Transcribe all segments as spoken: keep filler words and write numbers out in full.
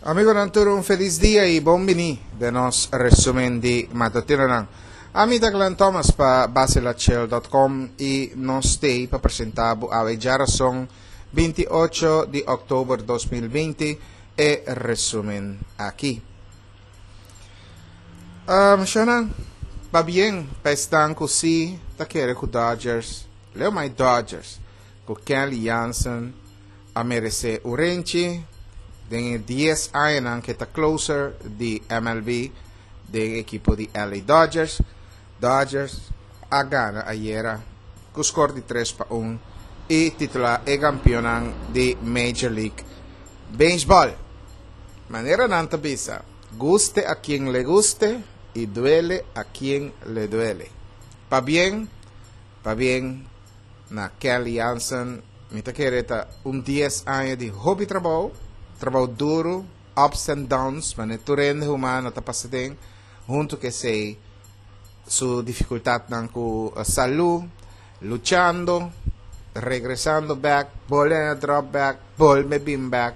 Amigonan tur, un felis dia i bon bini den nos resumen di matutinonan. Ami ta Glenn Thomas pa Basilachel punto com i nos t'ei pa presentá bo awe djarason binti ocho di òktober dos mil binti e resumen aki. Um, Shana, pabien pa esnan ku si ta kere ku Dodgers, Leo my Dodgers, ku Kenley Jansen a meresé un renchi den dies aña ku ta closer di M L B di ekipo di L A Dodgers. Dodgers a gana ayera ku score di tres pa un i titulá e kampeon di Major League Baseball. Manera nan ta bisa, guste a quien le guste y duele a quien le duele. Pabien, pabien na Kenley Jansen, mi ta kere ta un dies aña di hopi trabou, trabou duru, ups and downs, ma tur hende humano ta pasa aden, huntu ku esei su difikultatnan ku salú, luchando, regresando back, bolbe drop back, bolbe bin back.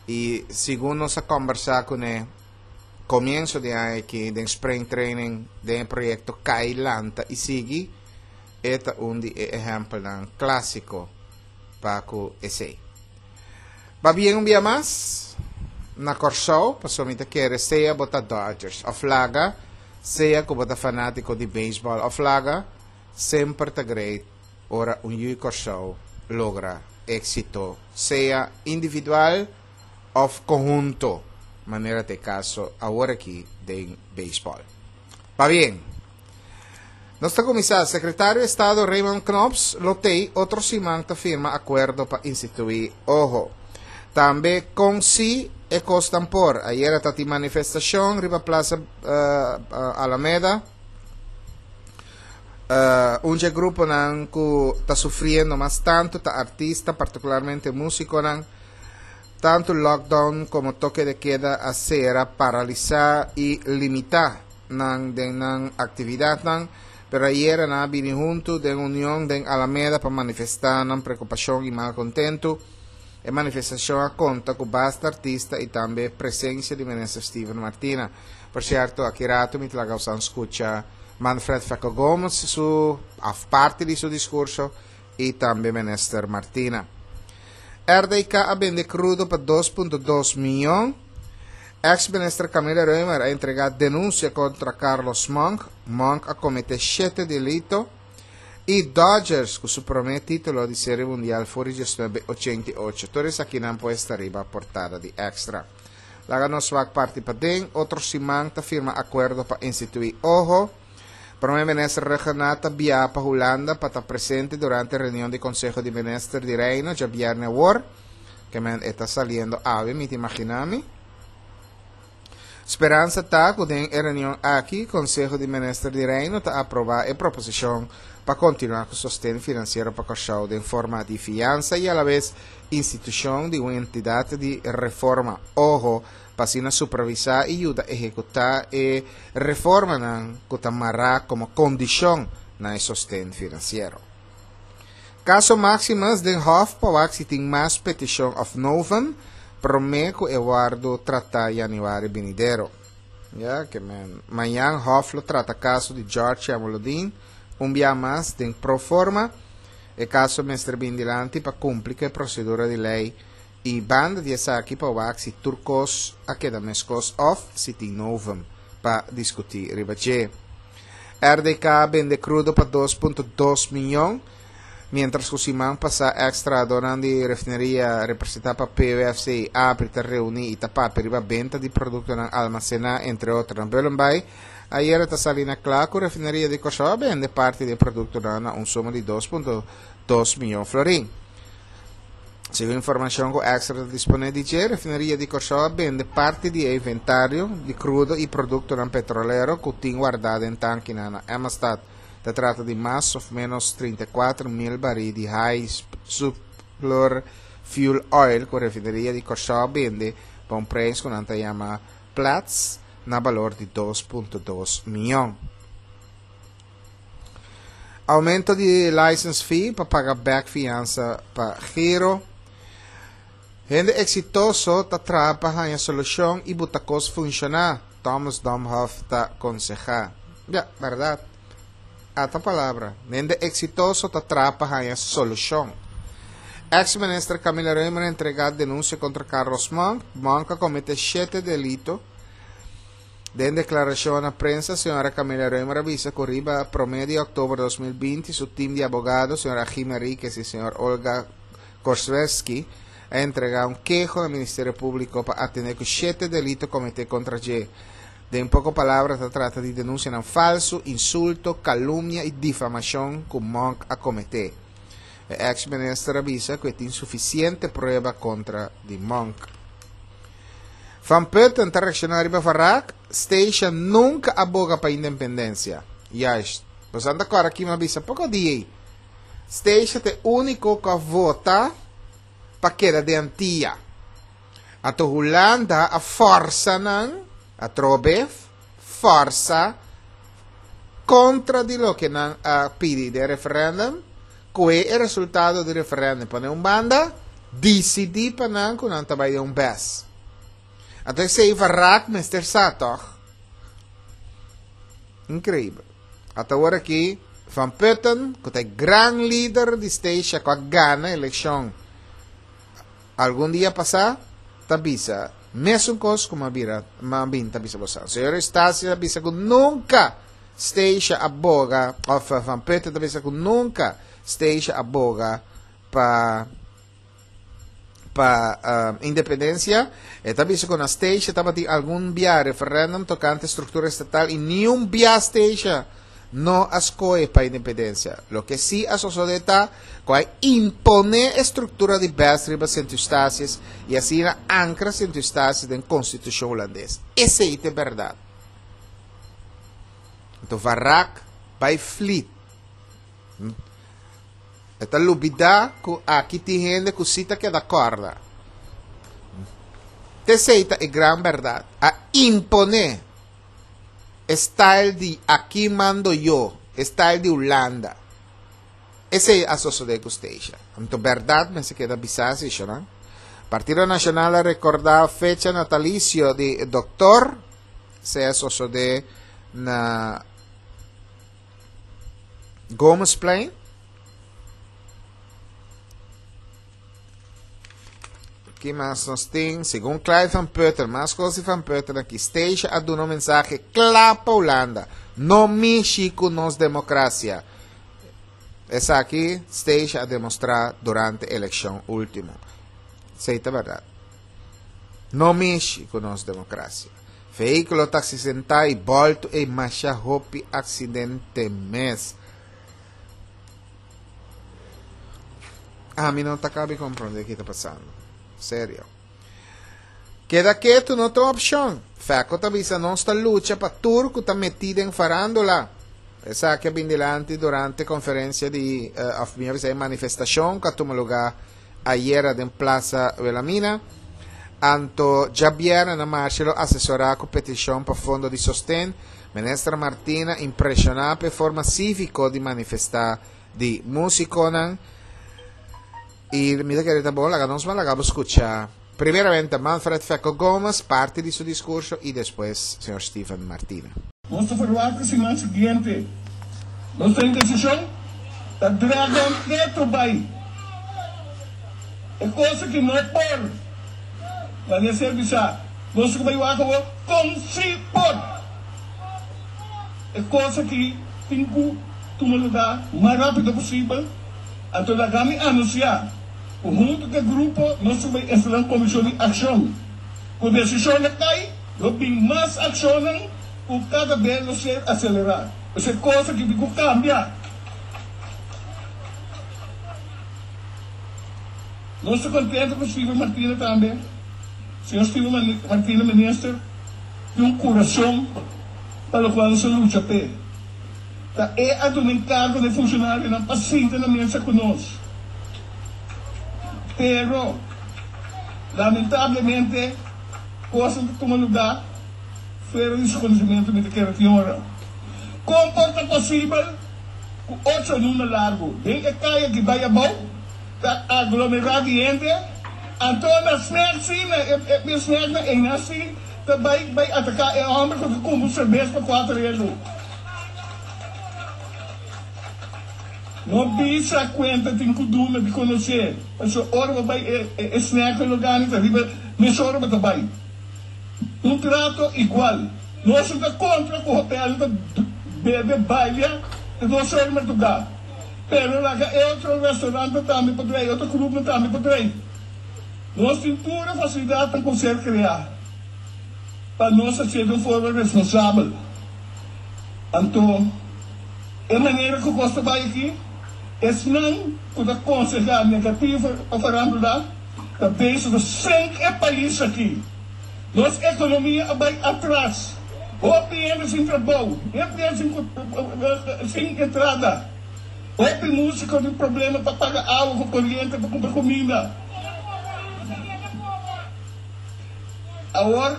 I segun nos a kombersá kuné komienso di aña aki, di spring training, di proyekto Kai Lanta i sigui, e ta un di ehèmpelnan klásiko pa ku esei. Pabien un dia mas na Kòrsou, pasobra mi ta kere sea bo ta Dodgers òf laga, sea ku bo ta fanátiko di baseball òf laga, semper ta great ora un yu Kòrsou logra éksito, sea individual òf konhunto, manera ta e kaso awor aki di baseball. Pabien. Nos ta kuminsá. Sekretario di Estado Raymond Knops lo tei otro siman ta firma akuerdo pa instituí OHO. Tambe kon si e kosnan por. Ayera tabatin manifestashon riba Plaza uh, uh, Alameda. Uh, un gruponan ku ta sufriendo mas tantu ta artista, partikularmente músikonan. Tantu lockdown komo toke de keda a sera, paralisá i limitá nan den nan aktividatnan. Pero ayera nan a bini huntu den union den Alameda pa manifestá nan preokupashon i malkontentu. E manifestashon a konta ku basta artista i tambe presensia di minister Steven Martina. Por sierto, aki ratu mi ta laga skucha Manfred Fekko Gomes su parti di su diskurso i tambe minister Martina. R D K a bende krudo pa dos punto dos mion. Ex-minister Camila Römer a entregá denunsia kontra Carlos Monk. Monk a kometé shete delito. I Dodgers ku su promé título di Serie Mundial for di mil noveshentoochenta i ocho. Tur esakinan por ta riba portada di Extra. Laga nos wak parti paden, otro siman ta firma akuerdo pa instituí OHO. Promé minister Rhuggenaath ta biaha pa Hulanda pa ta presente durante e reunion di Konseho di Minister di Reino, djabièrnè awor, ke men ta saliendo awe, mi ta imaginá mi. Speransa ta ku den e reunion aki, Konseho di Minister di Reino ta aprobá e proposishon pa kontinuá ku sosten finansiero pa Kòrsou den forma di fiansa i a la bes institushon di un entidat di reforma OHO pa asina supervisá i yuda ehekutá e reformanan ku ta mará komo kondishon na sosten finansiero. Kaso Maximus den Hof pa wak si tin mas petishon òf novum promé ku e wòrdu tratá yanüari benidero. Ja, ke men mañan Hof lo trata kaso di George Jamaloodin un dia mas den pro forma. E kaso mester bin dilanti pa kumpli ku e prosedura di lei i banda di esaki pa wak si tur kos a keda meskos òf si tin novum pa diskutí riba dje. R D K a bende krudo pa dos punto dos mion, mientras ku siman pasá eks-trahadónan di refineria representá pa P W F C A P R I ta reuní i ta papia riba benta di produktonan almasená, entre otro, na Bullenbaai. Ayera ta sali na kla ku refineria di Kòrsou a bende parti di produktonan na un suma di dos punto dos mion florin. Segun informashon ku Extra ta disponé di dje, refineria di Kòrsou a bende parti di inventario di krudo i produktonan petrolero ku tin wardá den tankinan na Emmastad. Ta trata di mas òf ménos trinta i kuater mil barí di high sulfur fuel oil ku refineria di Kòrsou a bende pa un preis ku nan ta yama Platts na balor di dos punto dos mion. Oumento di license fee pa paga back fiansa pa Giro. Hende eksitoso ta traha pa haña solushon i buta kos funshoná. Thomas Domhoff ta konsehá. Ja, berdat. Ata palabra. Hende eksitoso ta traha pa haña solushon. Ex-minister Camila Römer a entregá denunsia kontra Carlos Monk. Monk a kometé shete delito. Den deklarashon na prensa, señora Camila Römer a bisa ku riba promé di òktober dos mil binti su tim di abogado, señor Achim Henriquez i señor Olga Korswesky, a entregá un keho na Ministerio Públiko pa atendé ku shete delito kometé kontra dje. Den poko palabra ta trata di denunsianan falsu, insulto, kalumnia i difamashon ku Monk a kometé. E ex-minister a bisa ku e tin sufisiente prueba kontra di Monk. Van Putten ta reakshoná riba Varag, Statia nunka a boga pa independensia. Juist. Boso ta kòrda ki mi a bisa poko dia ei. Statia ta e úniko ku a vota pa keda den Antia. Anto Hulanda a fòrsa nan, atrobe, fòrsa kontra di loke nan a pidi den referèndum, kohe e resultado di referèndum pone un banda, disidí pa nan ku nan ta bai den un bes. Anto esei Varag mester sa tòg? Inkreibel. Ata awor aki Van Putten, ku ta e gran lider di Statia ku a gana elekshon algun dia pasá, ta bisa mesun kos ku m'a bira m'a bin ta bisa boso. Señor Eustacia ta bisa ku nunka Statia a boga, òf Van Putten ta bisa ku nunka Statia a boga pa pa independencia. E ta bisa ku na Statia tabatin algun bia referendum tokante struktura estatal i niun bia Statia no a skohe pa independencia. Loke sí a sosodé ta ku a imponé e struktura di bes riba Sint Eustatius i asina ankra Sint Eustatius den konstitushon hulandes. Esei ta e bèrdat. Anto Varag bai flit. E ta lubidá ku aki tin hende ku sí ta keda kòrda. T'esei ta e gran bèrdat. A imponé e style di aki mando yo, e style di Hulanda. Esei a sosodé ku Statia. Anto bèrdat mester keda bisá si, shonnan. Partido Nashonal a rekordá fecha natalisio di Dòktor. Esei a sosodé na Gomezplein. Ki mas nos tin? Segun Clyde van Putten, mas kos di Van Putten aki, Statia a duna un mensahe kla pa Hulanda, No mishi ku nos demokrasia. Esaki Statia a demostrá durante elekshon último. Esei ta bèrdat. No mishi ku nos demokrasia. Vehíkulo ta aksidentá i bòltu ei masha hopi aksidente mes. Ami no ta kabi komprondé ki ta pasando. Serio. Keda ketu no ta un opshon. Fèko ta bisa nos ta lucha pa tur ku ta metí den farándula. Esaki a bin dilanti durante konferensia di, òf mihó bisa e manifestashon ku a tuma lugá ayera den Plaza Wilhelmina. Anto djabièrnè na marshe lo asesorá ku petishon pa fondo di sosten. Minister Martina impreshoná pa e forma síviko di manifestá di músikonan. I mi ta kere ta bon laga nos ban laga bo skucha primeramente Manfred Fecco Gomez parti di su diskurso i despues señor Steven Martina. Nos ta ferwagt e siman siguiente. Nos ta indesishon ta dragon ketu bai. E kos aki no por. Manera ser bisa, nos ku bai wak awor kon si por. E kos aki tin ku tuma lugá mas rápido posibel. Anto laga mi anunsiá ku huntu ku e grupo nos ku bai instalá un komishon di akshon. Ku desishonnan kai, lo bin mas akshonnan ku kada bes lo ser aselerá. Esei kos aki tin ku kambia. Nos ta contento cu Steven Martina tambe. Señor Steven Martina Minister tin un curason pa locual nos a lucha p'e. Ta e a duna encargo na e funcionarionan pa sinta na mesa cu nos. Pero, lamentablemente, cosnan ta tuma lugar fuera di su conocimento, mi ta kere tin ora. Con por ta posibel cu ocho luna largo den e caya ki bay abou ta aglomerá di hende Anto na snack si, na e e snack na ena si, ta bai bai ataká e hòmber ku ta kumpra serbes pa kuater euro. No bisa kuenta tin ku duna di konosé, pasobra ora bo bai e e snack na lugá ni ta riba mesora bo ta bai. Un trato igual. Nos no ta kontra ku hotel ta bebe balia te dos ora mardugá, pero laga e otro restaurantnan tambe por drei, otro clubnan tambe por drei. Nos tin tur e facilidadnan cu ser crea pa nos hacié den un forma responsabel. Anto, e manera cu cos ta bay aki, esnan cu ta conseha negativo pa farándula ta bezig ta sink e pais aki. Nos economia a bay atras, hopi hende sin trabou, hopi hende sin entrada, hopi musico tin problema pa paga awa cu coriente pa cumpra cuminda. Awor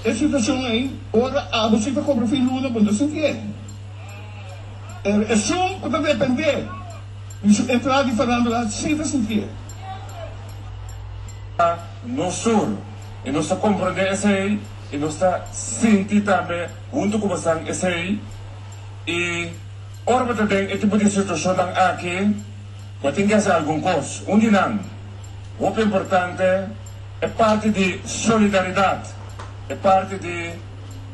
e situacion ey, ora abo si ta cobra fin luna bo no ta sintié. Pero esun cu ta depende di su entrada di farándula si ta sintié. Ta nos sur y nos ta comprende esey y nos ta sinti tambe hunto cu bosan esey y ora bo ta den e tipo di situacionnan aki bo tin ke haci algun cos. Un di nan hopi importante e parti di solidaridad, e parti di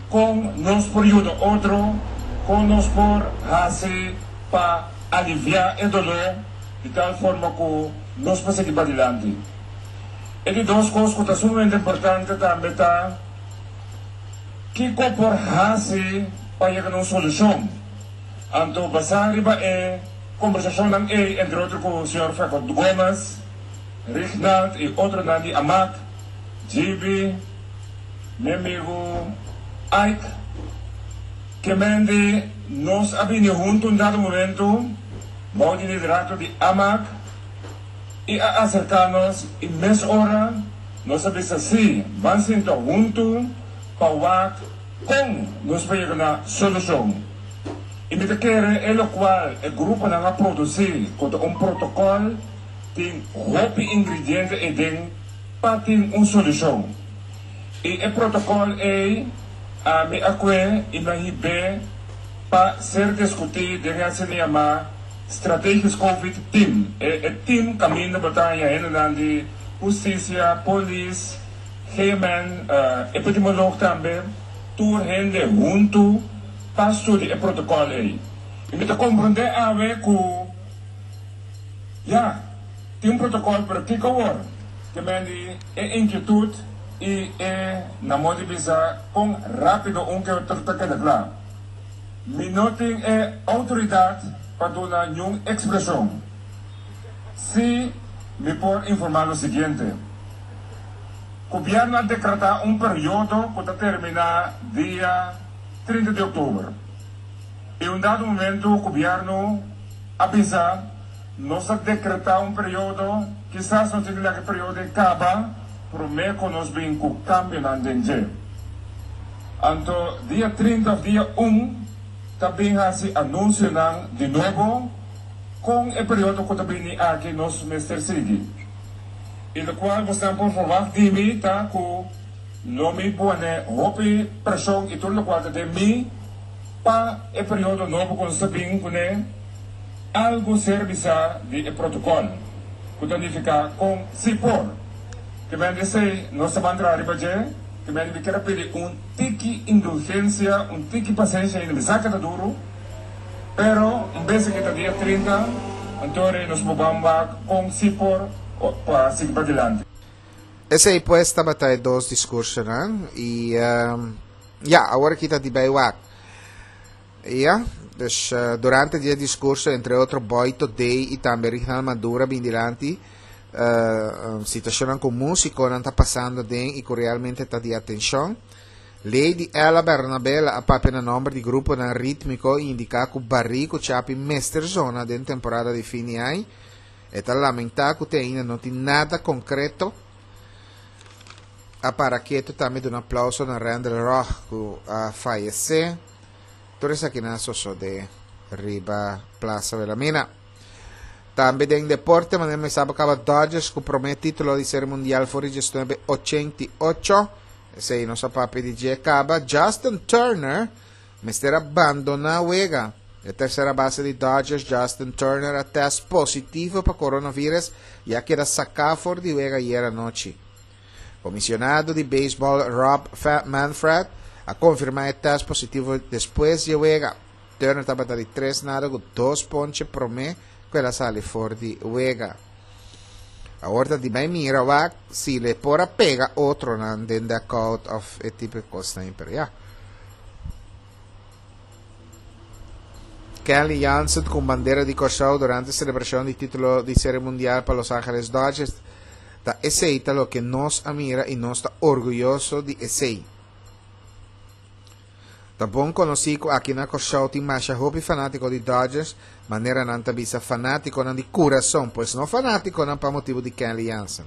con nos por yuda otro, con nos por haci pa alivia e dolor di tal forma cu nos por sigui padilanti. E di dos cos cu ta sumamente importante tambe ta kico por haci pa yega na un solucion. Anto basa riba e combersacionnan ey entre otro cu señor Fecot Gomez, Rignald y otronan di Amak, Gibi, mi amigo Ike, Kemendi, nos a bini hunto un dado momento bou di liderato di Amak y a acerca nos y mes ora nos a bisa si, ban sinta hunto pa wak con nos por yega na solucion. Y mi ta kere e locual e gruponan a produci cu ta un protocol tin hopi ingrediente eden pa tin un solucion. Y e protocol ey ami a cue y mi a hib'e pa ser discuti den e asina yama Strategisch Covid Team. E e team caminda bo ta haña hendenan di husticia, polis, G M N, epidemioloog tambe, tur hende hunto pa studia e protocol ey. Y mi ta comprende awe cu ya, tin un protocol pero kico awor? Te mendi e inquietud y e na modo di bisa con rapido un ke otro ta keda cla. Mi no tin e autoridad pa duna niun expresion. Si mi por informa lo siguiente. Gobierno a decreta un periodo cu ta termina dia trinta di october. Y un dado momento gobierno a bisa nos a decreta un periodo, kisas nos tin di laga e periodo ei caba prome cu nos bin cu cambionan den dje. Anto dia trinta of dia un ta bin haci anuncionan di nobo con e periodo cu ta bini aki nos mester sigui. Y locual bosnan por verwacht di mi ta cu lo mi pone hopi presion y tur locual ta den mi pa e periodo nobo cu nos ta bin cune algo ser bisa di e protocol cu ta nifica con si por. Te men di esey nos ta ban traha riba dje, te men di mi kier a pidi un tiki indulgencia, un tiki pacencia ainda mi sa ke ta duro, pero un bes aki ta dia trinta, anto rei nos por ban wak con si por pa sigui padilanti. Esey pues tabata e dos discursonan y ya, awor aki ta di bay wak. Ya, dus durante di e discurso entre otro Boito Day y tambe Rignald Maduro a bin dilanti situacionnan cu musiconan ta pasando den y cu realmente ta di atencion. Lady Ella Bernabela a papia na nomber di gruponan ritmico y indica cu Barry cu Chapi mester zona den temporada di fin di aña. E ta lamenta cu te ainda no tin nada concreto. A para keto tambe duna aplauso na Randall Roch cu a fayece. Tur esakinan a sosode riba Plaza Wilhelmina. Tambe den deporte, manera mi sa kaba, Dodgers ku promé título di Serie Mundial for di diesnuebe ochenta i ocho. Esei nos a papia di dje kaba. Justin Turner mester a bandoná wega. E tersera base di Dodgers, Justin Turner, a test positivo pa coronavirus i a keda saká for di wega ayera nochi. Komishonado di beisbòl Rob Manfred a konfirmá e test positivo despues di wega. Turner tabata di tres nada ku dos ponche promé ku el a sali for di wega. Awor di bai mira wak si e por a pega otro nan den dugout òf e tipo kos, pero ya. Kenley Jansen ku bandera di Kòrsou durante selebrashon di título di Serie Mundial pa Los Angeles Dodgers. Ta esei ta loke nos a mira i nos ta orguyoso di esei. Ta bon konosí ku aki na Kòrsou tin masha hopi fanátiko di Dodgers, manera nan ta bisa, fanátikonan di kurason, pues no fanátikonan pa motibu di Kenley Jansen.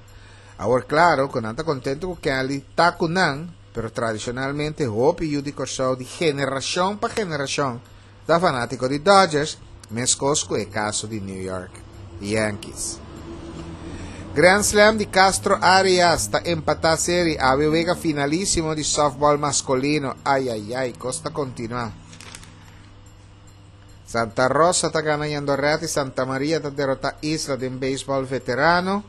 Awor, klaro, ku nan ta kontentu ku Kenley ta ku nan, pero tradishonalmente hopi yu di Kòrsou di generashon pa generashon ta fanátiko di Dodgers, meskos ku e kaso di New York Yankees. Grand Slam di Castro Arias ta empatá serie. Awe wega finalísimo di softball maskulino. Ai, ai, ai, kos ta kontinuá. Santa Rosa ta ganando Jandoret i Santa Maria ta derotá Isla den beisbòl veterano.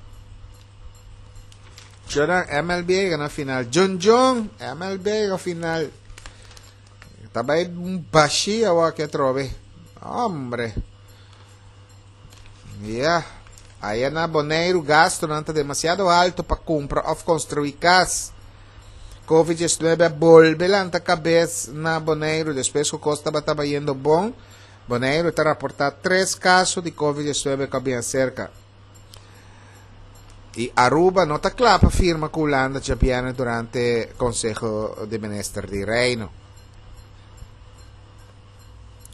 Jordan M L B gana final. Jun Jun M L B gana final. Tambe un bashí aki atrobe. Hombre. Yeah. Aya na Boneiru gastunan ta demasiado altu pa kumpra òf konstruí kas. COVID diesnuebe a bolbe lanta kabes na Boneiru despues ku kos tabata bayendo bon. Boneiru ta raportá tres kaso di COVID diesnuebe ku bin serka. I Aruba no ta kla pa firma ku Hulanda djabièrnè durante Konseho di Minister di Reino.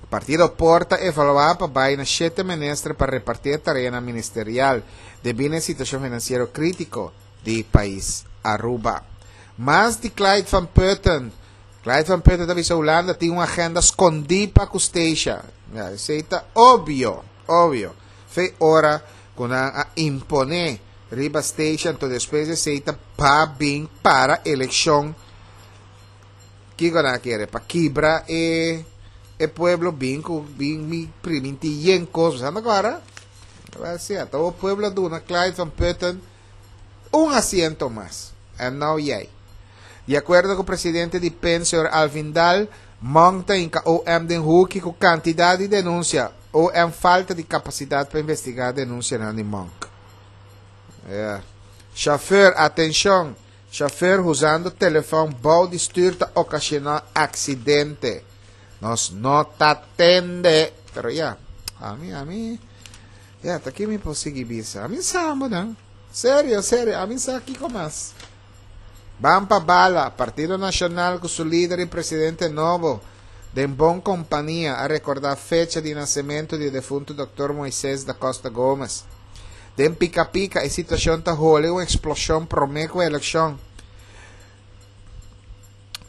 Partido Por ta evaluá pa bai na shete minister pa repartí tarea ministerial debí na situashon finansiero krítiko di pais Aruba. Mas di Clyde van Putten. Clyde van Putten ta Hulanda tin un agenda skondí pa ku Statia. Ja, esei ta opvio, opvio. Fe ora ku nan a imponé riba Statia, anto despues esei ta pa bin para elekshon. Kiko nan ke? Pa kibra e e pueblo bin ku bin mi primintí yen kos. Sabe awor? Bai ser, e pueblo duna Clyde van Putten un asiento mas. And now yay. Di akuerdo ku e presidente di P E N, señor Alvin Daal, Monk ta hinka O M den huki ku kantidat di denunsia. O M falta di kapasidat pa investigá denunsia di Monk. Yeah. Chauffeur, atenshon. Chauffeur usando telefòn bou di stür ta okashoná aksidente. Nos no ta tende. Pero ya, ami, ami, ya, ta aki mi por sigui bisa. Ami sa, no? Serio, serio, ami sa kiko mas. Ban pa bala, Partido Nashonal ku su lider i presidente nobo, den bon kompania, a rekordá fecha di nasementu di defuntu Doctor Moisés da Costa Gomez. Den pika pika, e situashon ta hole un eksploshon promé ku elekshon.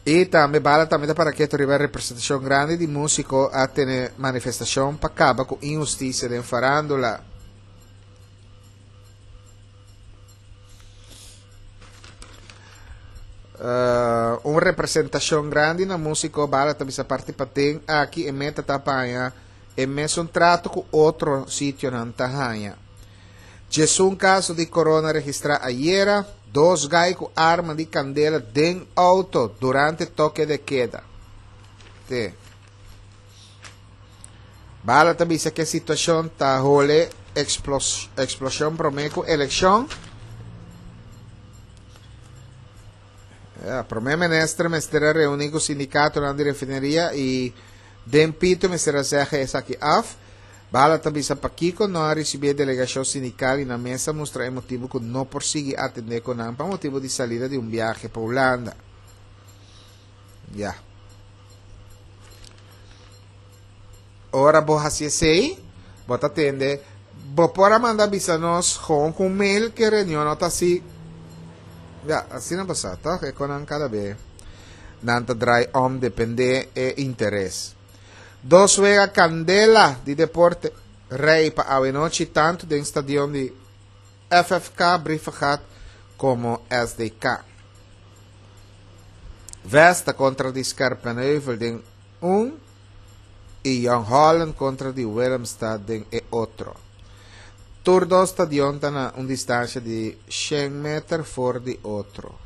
I tambe bala tambe pa ku riba representashon grandi di músiko a tene manifestashon pa kaba ku inhustisia den farándula. Uh, un representashon grandi na músiko bala tambe sa parti paten aki e meta ta paña e mesun trato ku otro sitionan ta haña. Un kaso di corona registrá ayera, dos gai ku arma di kandela den outo durante toque de queda. Te. Bala tambe ku e situashon ta hole explos, eksploshon promé ku elekshon. Ja, promé minister mester a reuní ku sindikato na refineria i den pito mester a zeg esaki af. Bala tambe sa pakiko no a risibí delegashon sindikal i na mesa mustra e motibu ku no por sigui atendé ku nan pa motibu di salida di un biahe pa Hulanda. Ja. Ora bo hasi esei, bo ta tende, bo por a manda bisa nos gewoon ku mail ku reunion no ta asina. Ja, asina no pasa, toch? E kon kada be. Nan ta draai om dependé e interes. Dos wega kandela di deporte. Rei pa awe nochi tantu den stadion di F F K Brievengat komo S D K. Vesta kontra di Scherpenheuvel den un i Jong Holland kontra di Willemstad den e otro. Tur dos stadion ta na un distansia di shen meter for di otro.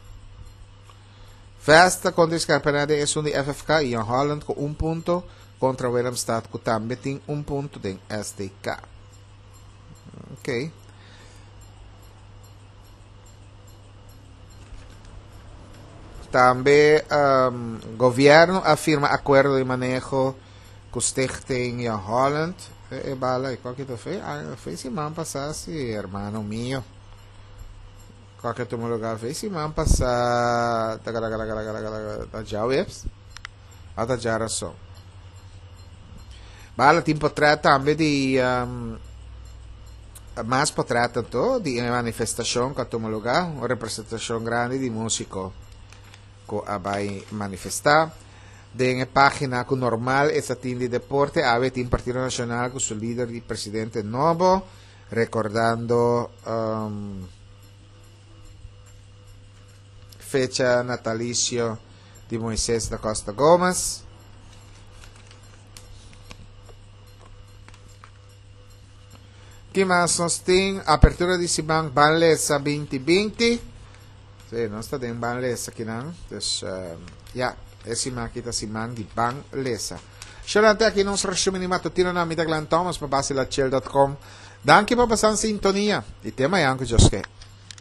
Vesta kontra Scherpenheuvel e un di F F K i Jong Holland ku un punto kontra Willemstad ku tambe tin un punto den S D K. Ok. Tambe um, gobièrnu a firma akuerdo di maneho ku Stichting Jong Holland. E, e bala, i kua ku fe? Ah, fe siman pasá, si, ruman mi. Kua ku tuma lugá? Fe siman pasá, ta djaweps. Ah, ta djárason. Bala, tin portrèt tambe di um, mas portrèt anto di manifestashon ku a tuma lugá, un representashon grandi di músiko ku a bai manifestá. Den página ku normal e tin di deporte, awe tin Partido Nashonal ku su lider i presidente nobo, rekordando um, fecha natalisio di Moises da Costa Gomez. Ki mas nos tin? Apertura di siman Ban Lesa dos mil binti. Si, nos ta den Ban Lesa aki no. Dus, uh, ja, e siman aki ta siman di Ban Lesa. Xorante aki nos resumen matutino na mi ta Glenn Thomas pa basilachel punto com. Danki pa pasa sintonia. I te mañan ku Dios ke.